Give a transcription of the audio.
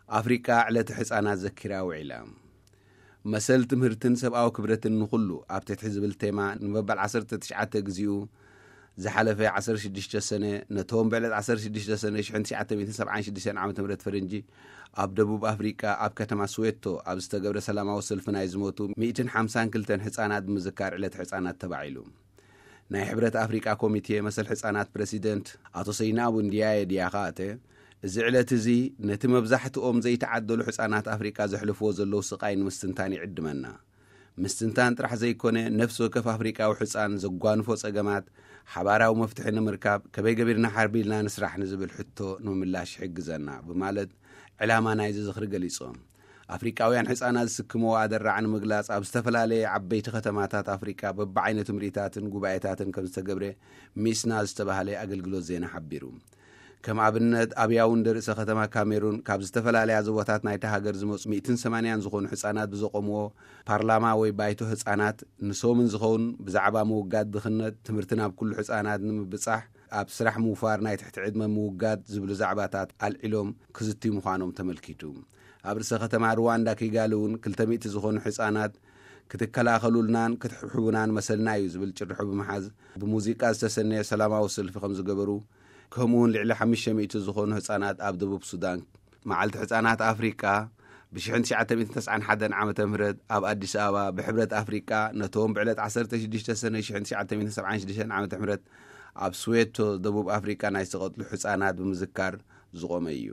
ኣፍሪቃ ዕለተ ሕፃናት ዘኪራ ውዒላ። መሰል ትምህርትን ሰብኣዊ ክብረትን ንኹሉ ኣብ ትሕቲ ዝብል ቴማ ንመበል ዓሰርተ ትሽዓተ ግዜኡ ዝሓለፈ ዓሰርተ ሽዱሽተ ሰነ፣ ነቶም ብዕለት ዓሰርተ ሽዱሽተ ሰነ ሽሕን ትሽዓተ ሚእትን ሰብዓን ሽዱሽተን ዓመተ ምህረት ፈረንጂ ኣብ ደቡብ ኣፍሪቃ ኣብ ከተማ ስዌቶ ኣብ ዝተገብረ ሰላማዊ ሰልፊ ናይ ዝሞቱ ሚእትን ሓምሳን ክልተን ሕፃናት ብምዝካር ዕለት ሕፃናት ተባዒሉ። ናይ ሕብረት ኣፍሪቃ ኮሚቴ መሰል ሕፃናት ፕረሲደንት ኣቶ ሰይናቡ እንዲያየ ዲያኻተ፣ እዚ ዕለት እዚ ነቲ መብዛሕትኦም ዘይተዓደሉ ሕፃናት ኣፍሪቃ ዘሕልፍዎ ዘለዉ ስቓይ ንምስትንታን ይዕድመና። ምስትንታን ጥራሕ ዘይኮነ፣ ነፍሲ ወከፍ ኣፍሪቃዊ ሕፃን ዘጓንፎ ጸገማት ሓባራዊ መፍትሒ ንምርካብ ከመይ ገቢርና ሓርቢልና ንስራሕ ንዝብል ሕቶ ንምምላሽ ይሕግዘና ብማለት ዕላማ ናይዚ ዝኽሪ ገሊጾም። ኣፍሪቃውያን ሕፃናት ዝስክምዎ ኣደራዕ ንምግላጽ ኣብ ዝተፈላለየ ዓበይቲ ከተማታት ኣፍሪቃ በብዓይነቱ ምርኢታትን ጉባኤታትን ከም ዝተገብረ ሚስና ዝተባህለ ኣገልግሎት ዜና ሓቢሩ። ከም ኣብነት ኣብ ያውንደ ርእሰ ከተማ ካሜሩን ካብ ዝተፈላለያ ዞባታት ናይታ ሃገር ዝመጹ ሚእትን ሰማንያን ዝኾኑ ሕፃናት ብዘቆምዎ ፓርላማ ወይ ባይቶ ህፃናት ንሶምን ዝኸውን ብዛዕባ ምውጋድ ድኽነት ትምህርቲ ናብ ኩሉ ህፃናት ንምብጻሕ ኣብ ስራሕ ምውፋር ናይ ትሕቲ ዕድመ ምውጋድ ዝብሉ ዛዕባታት ኣልዒሎም ክዝትዩ ምዃኖም ተመልኪቱ። ኣብ ርእሰ ከተማ ሩዋንዳ ኪጋሊ እውን ክልተ ሚእቲ ዝኾኑ ህፃናት ክትከላኸሉልናን ክትሕብሕቡናን መሰልና እዩ ዝብል ጭርሖ ብምሓዝ ብሙዚቃ ዝተሰነየ ሰላማዊ ሰልፊ ከም ዝገበሩ፣ ከምኡውን ልዕሊ ሓሙሽተ ሚእቲ ዝኾኑ ህፃናት ኣብ ደቡብ ሱዳን መዓልቲ ህፃናት ኣፍሪቃ ብሽሕን ትሽዓተ ሚእትን ተስዓን ሓደን ዓመተ ምህረት ኣብ ኣዲስ ኣበባ ብሕብረት ኣፍሪቃ ነቶም ብዕለት ዓሰርተ ሽዱሽተ ሰነ ሽሕን ትሽዓተ ሚእትን ሰብዓን ሽዱሽተን ዓመተ ምህረት ኣብ ስዌቶ ደቡብ ኣፍሪቃ ናይ ዝተቐትሉ ህፃናት ብምዝካር ዝቖመ እዩ።